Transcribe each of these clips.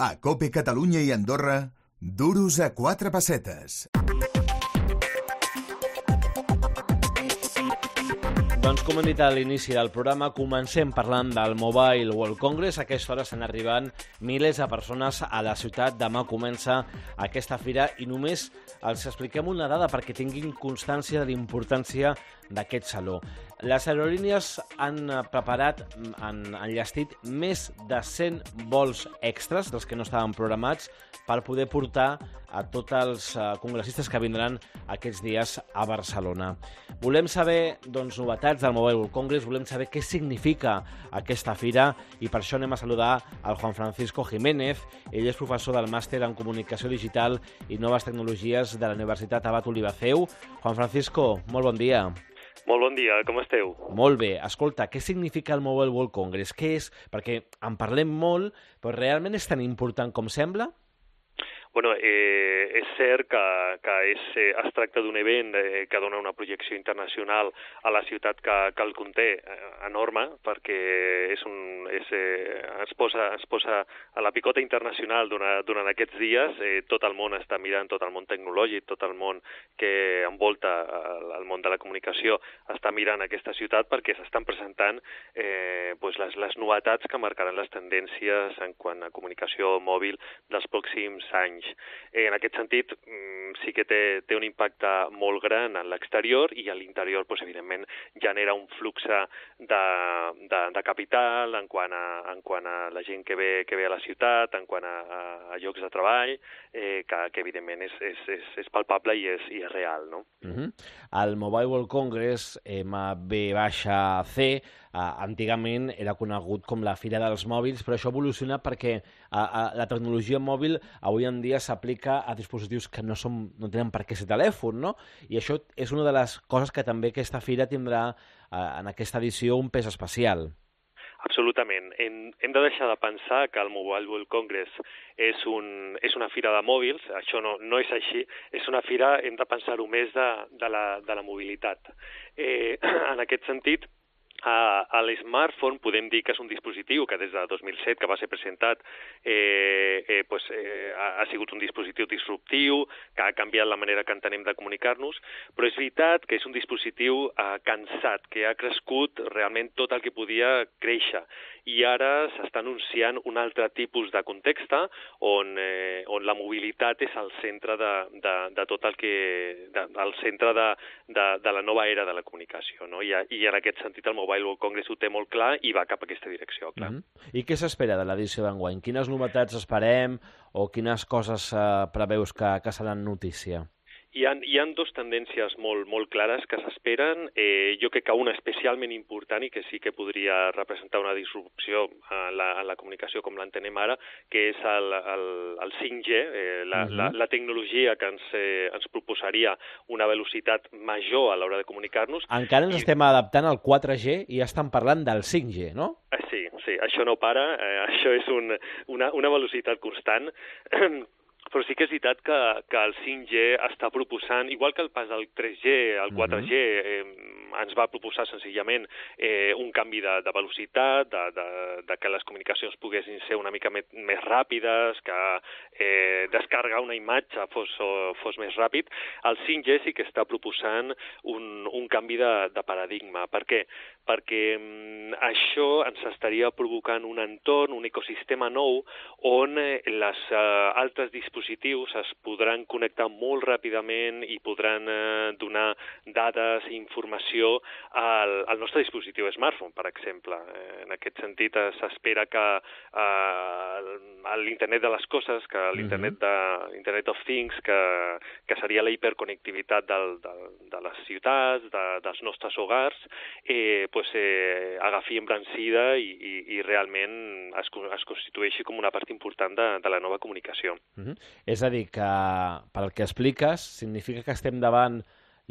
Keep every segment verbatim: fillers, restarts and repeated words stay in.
A COPE Catalunya i Andorra, duros a quatre pessetes. Doncs com hem dit a l'inici del programa, comencem parlant del Mobile World Congress. A aquesta hora estan arribant milers de persones a la ciutat. Demà comença aquesta fira i només els expliquem una dada perquè tinguin constància de la importància d'aquest saló. Les aerolínies han preparat, han enllestit més de cent vols extras, dels que no estaven programats, per poder portar a tots els congressistes que vindran aquests dies a Barcelona. Volem saber doncs, novetats del Mobile World Congress, volem saber què significa aquesta fira i per això anem a saludar al Juan Francisco Jiménez. Ell és professor del màster en Comunicació Digital i Noves Tecnologies de la Universitat Abat Olivaceu. Juan Francisco, molt bon dia. Molt bon dia, com esteu? Molt bé. Escolta, què significa el Mobile World Congress? Què és? Perquè en parlem molt, però realment és tan important com sembla? Bueno, eh, és cert que, que és, eh, es tracta d'un event eh, que dona una projecció internacional a la ciutat que, que el conté eh, enorme, perquè és un, és, eh, es, posa, es posa a la picota internacional durant, durant aquests dies. Eh, tot el món està mirant, tot el món tecnològic, tot el món que envolta el, el món de la comunicació està mirant aquesta ciutat perquè s'estan presentant eh, pues les, les novetats que marcaran les tendències en quant a comunicació mòbil dels pròxims anys. En aquest sentit, sí que té, té un impacte molt gran en l'exterior i a l'interior, doncs, evidentment, genera un flux de, de, de capital en quant, a, en quant a la gent que ve, que ve a la ciutat, en quant a, a llocs de treball, eh, que, que evidentment és, és, és, és palpable i és, i és real, no? Uh-huh. El Mobile World Congress, M V C, Uh, antigament era conegut com la Fira dels Mòbils, però això evoluciona perquè uh, uh, la tecnologia mòbil avui en dia s'aplica a dispositius que no, som, no tenen per què ser telèfon, no? I això és una de les coses que també aquesta fira tindrà uh, en aquesta edició un pes especial. Absolutament. Hem, hem de deixar de pensar que el Mobile World Congress és, un, és una fira de mòbils. Això no, no és així. És una fira, hem de pensar-ho més, de, de, la, de la mobilitat. Eh, en aquest sentit, a, a l'smartphone podem dir que és un dispositiu que des de dos mil set, que va ser presentat, eh, eh, pues, eh, ha, ha sigut un dispositiu disruptiu, que ha canviat la manera que entenem de comunicar-nos, però és veritat que és un dispositiu eh, cansat, que ha crescut realment tot el que podia créixer. I ara s'està anunciant un altre tipus de context on, eh, on la mobilitat és al centre de, de, de tot el que... De, al centre de, de, de la nova era de la comunicació, no? I, I en aquest sentit el Mobile World Congress ho té molt clar i va cap a aquesta direcció, clar. Mm-hmm. I què s'espera de l'edició d'enguany? Quines novetats esperem o quines coses eh, preveus que, que seran notícia? Hi ha, hi ha dues tendències molt, molt clares que s'esperen. Eh, jo crec que una especialment important i que sí que podria representar una disrupció en la, en la comunicació com l'entenem ara, que és el, el, el cinc G, eh, la, uh-huh. la, la tecnologia que ens, eh, ens proposaria una velocitat major a l'hora de comunicar-nos. Encara ens I... estem adaptant al quatre G i ja estan parlant del cinc G, no? Eh, sí, sí, això no para, eh, això és un, una, una velocitat constant. Però sí que és veritat que, que el cinc G està proposant, igual que el pas del tres G, el quatre G, eh, ens va proposar senzillament eh, un canvi de, de velocitat, de, de, de que les comunicacions poguessin ser una mica més, més ràpides, que eh, descarregar una imatge fos, fos més ràpid. El cinc G sí que està proposant un, un canvi de, de paradigma. Per què? Perquè mm, això ens estaria provocant un entorn, un ecosistema nou, on eh, les eh, altres dispositius es podran connectar molt ràpidament i podran eh, donar dades i informació al, al nostre dispositiu smartphone, per exemple. Eh, en aquest sentit, eh, s'espera que eh, l'internet de les coses, que l'internet de, Internet of Things, que, que seria la hiperconnectivitat del, del, de les ciutats, de, dels nostres hogars, eh, pues, eh, agafi embrancida i, i, i realment es, es constitueixi com una part important de, de la nova comunicació. Uh-huh. És a dir, que pel que expliques, significa que estem davant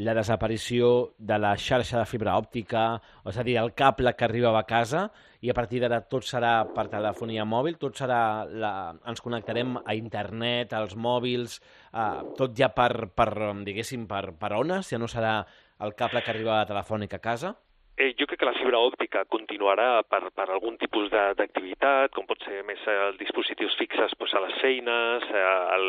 la desaparició de la xarxa de fibra òptica, és a dir, el cable que arribava a casa, i a partir d'ara tot serà per telefonia mòbil, tot serà la... ens connectarem a internet, als mòbils, eh, tot ja per, per diguéssim, per, per ones, ja no serà el cable que arriba a telefònica a casa? Eh, jo crec que la fibra òptica continuarà per, per algun tipus d'activitat, com pot ser més els dispositius fixes doncs, a la feines, eh, el,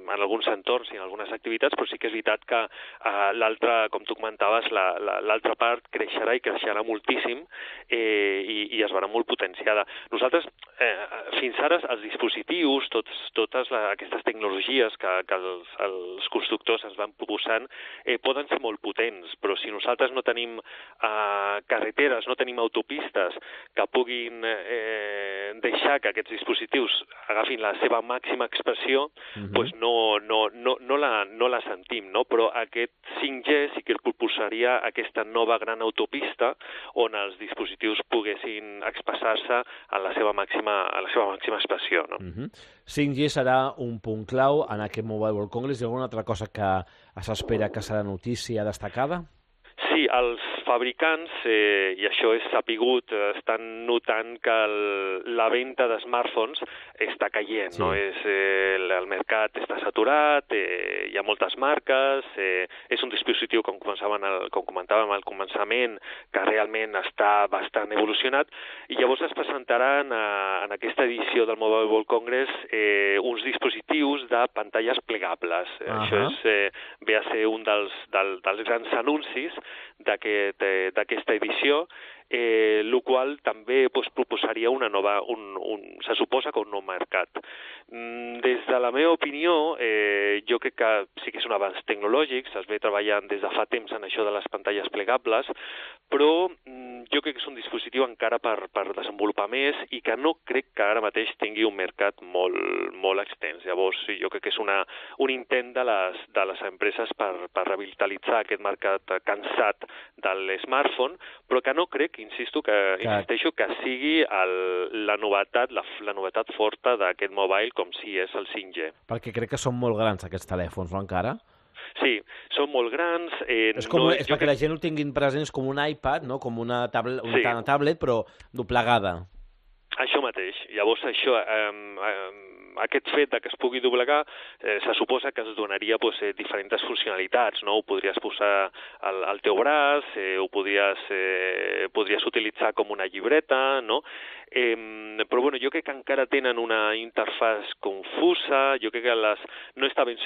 en alguns entorns i en algunes activitats, però sí que és veritat que eh, l'altra, com tu comentaves, l'altra part creixerà i creixerà moltíssim eh, i, i es veurà molt potenciada. Nosaltres, eh, fins ara, els dispositius, tots, totes la, aquestes tecnologies que, que els, els constructors ens van proposant, eh, poden ser molt potents, però si nosaltres no tenim eh, carreteres, no tenim autopistes que puguin eh, deixar que aquests dispositius agafin la seva màxima expressió, uh-huh. pues no, no, no, no, la, no la sentim, no? Però aquest cinc G sí que propulsaria aquesta nova gran autopista on els dispositius poguessin expressar-se a la seva màxima, a la seva màxima expressió, no? Uh-huh. cinc G serà un punt clau en aquest Mobile World Congress. Hi ha alguna altra cosa que s'espera que serà notícia destacada? Sí, els fabricants, eh, i això és sapigut, estan notant que el, la venda de smartphones està caient, sí. no? És, eh, el, el mercat està saturat, eh, hi ha moltes marques, eh, és un dispositiu, com, el, com comentàvem al començament, que realment està bastant evolucionat, i llavors es presentaran a, en aquesta edició del Mobile World Congress eh, uns dispositius de pantalles plegables. Uh-huh. Això és, eh, ve a ser un dels, del, dels grans anuncis d'aquesta edició, eh, el qual també pues, proposaria una nova, un, un, se suposa que un nou mercat. Mm, des de la meva opinió, eh, jo crec que sí que és un avanç tecnològic, es ve treballant des de fa temps en això de les pantalles plegables, però mm, jo crec que és un dispositiu encara per, per desenvolupar més i que no crec que ara mateix tingui un mercat molt, molt extens. Llavors, jo crec que és una, un intent de les, de les empreses per, per revitalitzar aquest mercat cansat de l'smartphone, però que no crec, insisto, que, que... insisteixo, que sigui el, la novetat, la, la novetat forta d'aquest mobile com si és el cinc G. Perquè crec que són molt grans aquests telèfons, no, encara? Sí, són molt grans. Eh, és com, no, és perquè que... la gent ho tinguin present, és com un iPad, no? Com una tablet, una sí. tablet, però doblegada. Això mateix. Llavors, això, eh, eh, aquest fet de que es pugui doblegar, eh, se suposa que es donaria pues, eh, diferents funcionalitats, no? Ho podries posar al, al teu braç, eh, ho podries, eh, podries utilitzar com una llibreta, no? Eh, però bueno, jo crec que encara tenen una interfàs confusa, jo crec que les, no està ben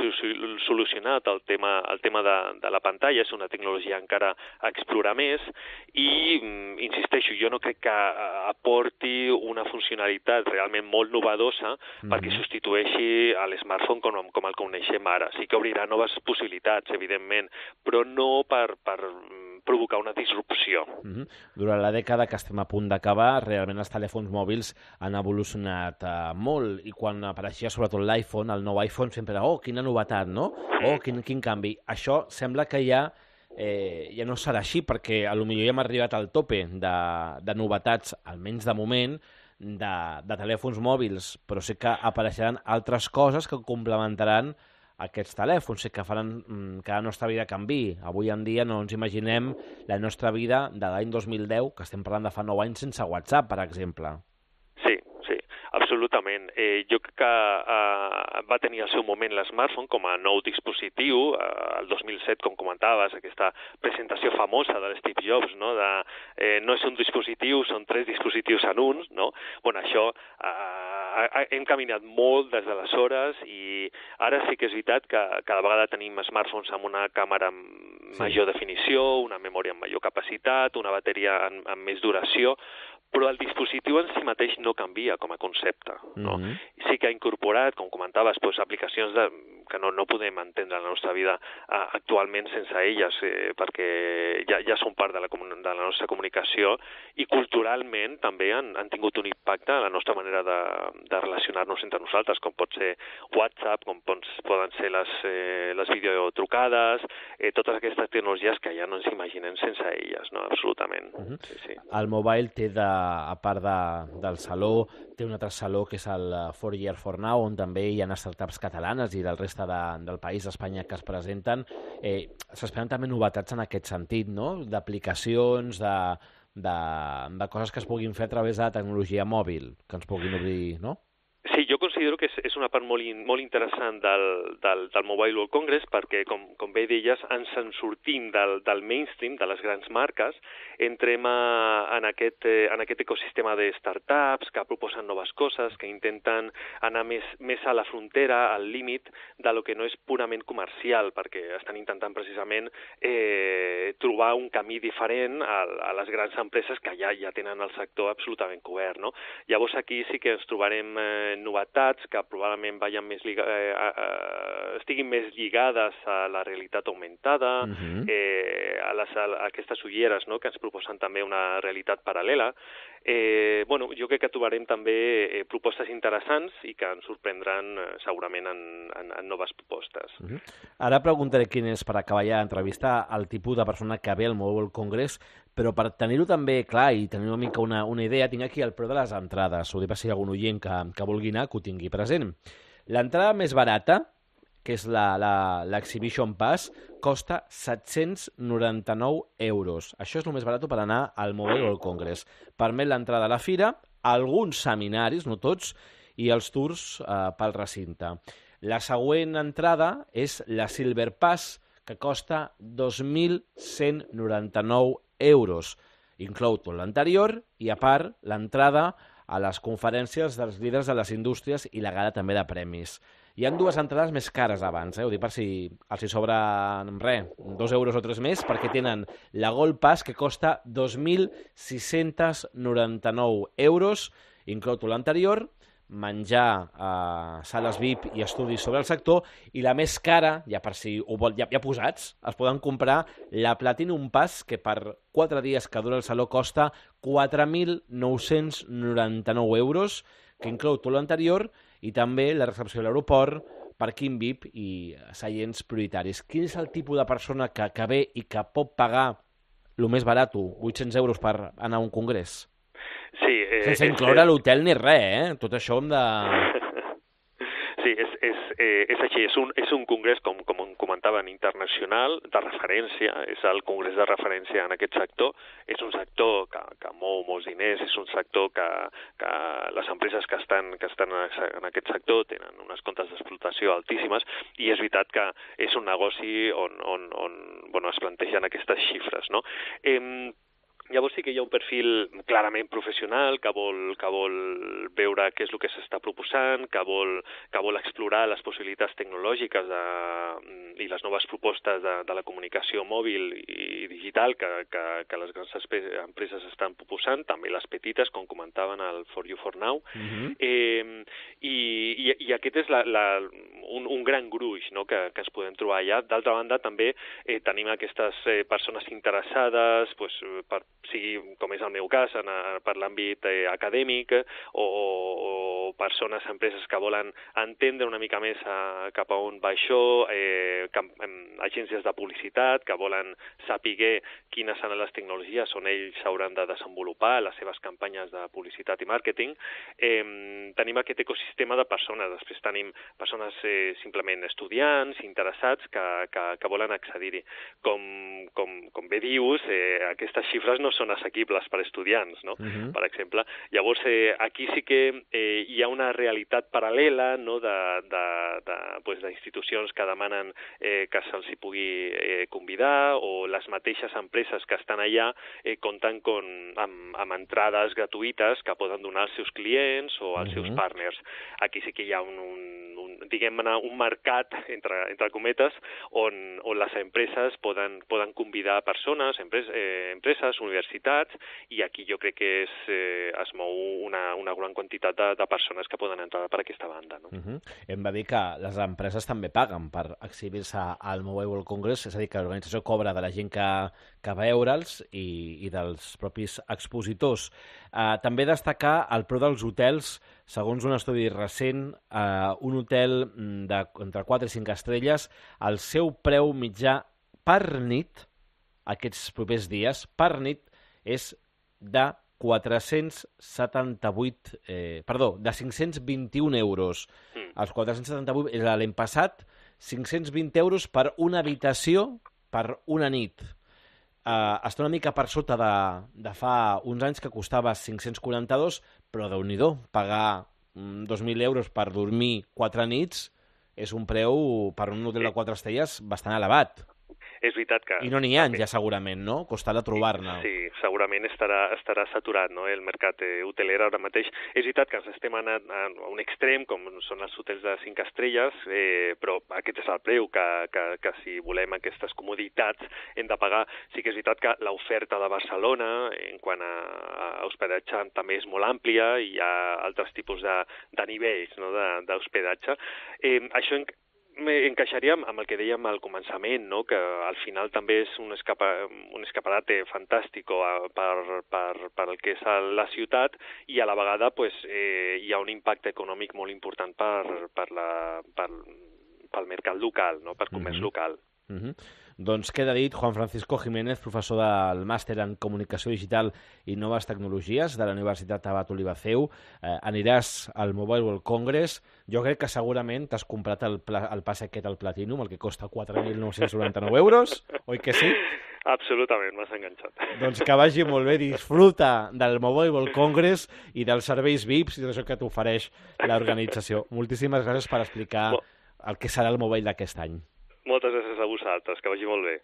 solucionat el tema, el tema de, de la pantalla, és una tecnologia encara a explorar més i, insisteixo, jo no crec que aporti una funcionalitat realment molt novedosa mm-hmm. perquè substitueixi a l'smartphone com, com el coneixem ara. Sí que obrirà noves possibilitats, evidentment, però no per, per provocar una disrupció. Mm-hmm. Durant la dècada que estem a punt d'acabar, realment els telèfons mòbils han evolucionat uh, molt, i quan apareixia sobretot l'iPhone, el nou iPhone sempre era, oh, quina novetat, no? Oh, quin, quin canvi. Això sembla que ja, eh, ja no serà així, perquè potser ja hem arribat al tope de, de novetats, almenys de moment, de, de telèfons mòbils, però sí que apareixeran altres coses que complementaran aquests telèfons, sí que faran mm, que la nostra vida canvi. Avui en dia no ens imaginem la nostra vida de l'any dos mil deu, que estem parlant de fa nou anys, sense WhatsApp, per exemple. Sí, sí, absolutament. Eh, jo crec que eh, va tenir el seu moment l'smartphone com a nou dispositiu, eh, el dos mil set, com comentaves, aquesta presentació famosa de l'Steve Jobs, no? De, eh, no és un dispositiu, són tres dispositius en un, no? Bueno, això eh, hem caminat molt des d'aleshores i ara sí que és veritat que cada vegada tenim smartphones amb una càmera amb major sí. definició, una memòria amb major capacitat, una bateria amb, amb més duració, però el dispositiu en si mateix no canvia com a concepte. No? Mm-hmm. Sí que ha incorporat, com comentaves, doncs, aplicacions de, que no, no podem entendre la nostra vida uh, actualment sense elles, eh, perquè ja, ja són part de la, de la nostra comunicació i culturalment també han, han tingut un impacte a la nostra manera de, de relacionar-nos entre nosaltres, com pot ser WhatsApp, com pots, poden ser les, eh, les videotrucades, eh, totes aquestes tecnologies que ja no ens imaginem sense elles, no? Absolutament. Mm-hmm. Sí, sí. El mobile té de a part de, del saló, té un altre saló que és el four year four now, on també hi ha startups catalanes i del reste de, del país d'Espanya que es presenten. Eh, S'esperen també novetats en aquest sentit, no? D'aplicacions, de, de, de coses que es puguin fer a través de la tecnologia mòbil, que ens puguin obrir, no? Sí, jo considero que és, és una part molt, in, molt interessant del, del, del Mobile World Congress perquè, com, com bé deies, ens en sortim del, del mainstream, de les grans marques, entrem a, en, aquest, eh, en aquest ecosistema de startups que proposen noves coses, que intenten anar més, més a la frontera, al límit de lo que no és purament comercial, perquè estan intentant precisament eh, trobar un camí diferent a, a les grans empreses que ja, ja tenen el sector absolutament cobert, no? Llavors aquí sí que ens trobarem eh, novetats que probablement vayan més liga, eh, eh, estiguin més lligades a la realitat augmentada, uh-huh. eh, a, les, a aquestes ulleres, no?, que ens proposen també una realitat paral·lela. Eh, bueno, jo crec que trobarem també eh, propostes interessants i que ens sorprendran eh, segurament en, en, en noves propostes. Uh-huh. Ara preguntaré quin és, per acabar ja d'entrevistar, el tipus de persona que ve al Mobile World Congress, però per tenir-ho també clar i tenir una mica una, una idea, tinc aquí el preu de les entrades. Ho dic per si hi ha algun oient que, que vulgui anar, que ho tingui present. L'entrada més barata, que és l'Exhibition Pass, costa set-cents noranta-nou euros. Això és el més barat per anar al Mobile World Congress. Permet l'entrada a la fira, alguns seminaris, no tots, i els tours eh, pel recinte. La següent entrada és la Silver Pass, que costa dos mil cent noranta-nou euros. Inclou tot l'anterior i, a part, l'entrada a les conferències dels líders de les indústries i la gala també de premis. Hi ha dues entrades més cares abans, eh? Ho dic per si els hi sobra res, dos euros o tres més, perquè tenen la Gold Pass, que costa dos mil sis-cents noranta-nou euros, inclou tot l'anterior, menjar, eh, sales V I P i estudis sobre el sector, i la més cara, ja per si ho vol, ja, ja posats, es poden comprar la Platinum Pass, que per quatre dies que dura el saló costa quatre mil nou-cents noranta-nou euros, que inclou tot l'anterior, i també la recepció a l'aeroport, parking V I P i seients prioritaris. Quin és el tipus de persona que, que ve i que pot pagar el més barat, vuit-cents euros per anar a un congrés? Sí, eh, sense incloure l'hotel ni res, eh? Tot això hem de... Sí, és, és, eh, és així, és un, és un congrés, com, com comentaven, internacional, de referència, és el congrés de referència en aquest sector, és un sector que, que mou molts diners, és un sector que, que les empreses que estan, que estan en aquest sector tenen unes comptes d'explotació altíssimes, i és veritat que és un negoci on, on, on bueno, es plantegen aquestes xifres, no? Eh, Llavors sí que hi ha un perfil clarament professional que vol, que vol veure què és el que s'està proposant, que vol, que vol explorar les possibilitats tecnològiques de, i les noves propostes de, de la comunicació mòbil i digital que, que, que les grans empreses estan proposant, també les petites, com comentaven al For You For Now. Uh-huh. eh, i, i, I aquest és la, la, un, un gran gruix, no?, que, que ens podem trobar allà. D'altra banda, també eh, tenim aquestes eh, persones interessades pues, per sigui, com és el meu cas, en, per l'àmbit eh, acadèmic, o, o persones, empreses que volen entendre una mica més a, cap a on va això, eh, cap, eh, agències de publicitat que volen saber quines són les tecnologies on ells s'hauran de desenvolupar les seves campanyes de publicitat i màrqueting. Eh, tenim aquest ecosistema de persones. Després tenim persones eh, simplement estudiants, interessats, que, que, que volen accedir-hi. Com, com, com bé dius, eh, aquestes xifres no són assequibles per estudiants, no? Uh-huh. Per exemple. Llavors, eh, aquí sí que eh, hi ha una realitat paral·lela, no?, de, de, de, pues, d'institucions que demanen eh, que se'ls hi pugui eh, convidar, o les mateixes empreses que estan allà eh, compten con, amb, amb entrades gratuïtes que poden donar als seus clients o als uh-huh. seus partners. Aquí sí que hi ha un, un, un diguem-ne, un mercat, entre, entre cometes, on, on les empreses poden, poden convidar persones, empreses, eh, empreses, universitats, i aquí jo crec que és, eh, es mou una, una gran quantitat de, de persones que poden entrar per aquesta banda. No? Uh-huh. Hem de dir que les empreses també paguen per exhibir-se al Mobile World Congress, és a dir, que l'organització cobra de la gent que, que va veure'ls i, i dels propis expositors. Uh, també destacar el preu dels hotels. Segons un estudi recent, uh, un hotel de, entre quatre i cinc estrelles, el seu preu mitjà per nit, aquests propers dies, per nit, és de quatre-cents setanta-vuit, eh, perdó, de cinc-cents vint-i-un euros. Mm. Els quatre-cents setanta-vuit era l'any passat, cinc-cents vint euros per una habitació per una nit. Uh, està una mica per sota de, de fa uns anys, que costava cinc-cents quaranta-dos, però Déu-n'hi-do, pagar dos mil euros per dormir quatre nits és un preu per un hotel de quatre estrelles bastant elevat. És veritat que... I no n'hi ha ja segurament, no? Costarà trobar-ne. Sí, segurament estarà, estarà saturat, no?, el mercat eh, hoteler ara mateix. És veritat que ens estem anant a un extrem, com són els hotels de cinc estrelles, eh, però aquest és el preu, que, que, que si volem aquestes comoditats hem de pagar. Sí que és veritat que l'oferta de Barcelona, en quant a, a hospedatge, també és molt àmplia, i hi ha altres tipus de, de nivells, no?, d'hospedatge. Eh, això en, encaixaria amb el que dèiem al començament, no?, que al final també és un, escapa, un escaparate fantàstic per, per, per el que és la ciutat, i a la vegada pues, eh, hi ha un impacte econòmic molt important per, per la, per, pel mercat local, no?, per comerç mm-hmm. local. Mm-hmm. Doncs queda dit, Juan Francisco Jiménez, professor del Màster en Comunicació Digital i Noves Tecnologies de la Universitat Abat Oliba C E U. Eh, aniràs al Mobile World Congress. Jo crec que segurament t'has comprat el, pla, el pas aquest al Platinum, el que costa quatre mil nou-cents noranta-nou euros, oi que sí? Absolutament, m'has enganxat. Doncs que vagi molt bé, disfruta del Mobile World Congress i dels serveis V I Ps i d'això que t'ofereix l'organització. Moltíssimes gràcies per explicar el que serà el Mobile d'aquest any. Moltes gràcies a vosaltres, que vagi molt bé.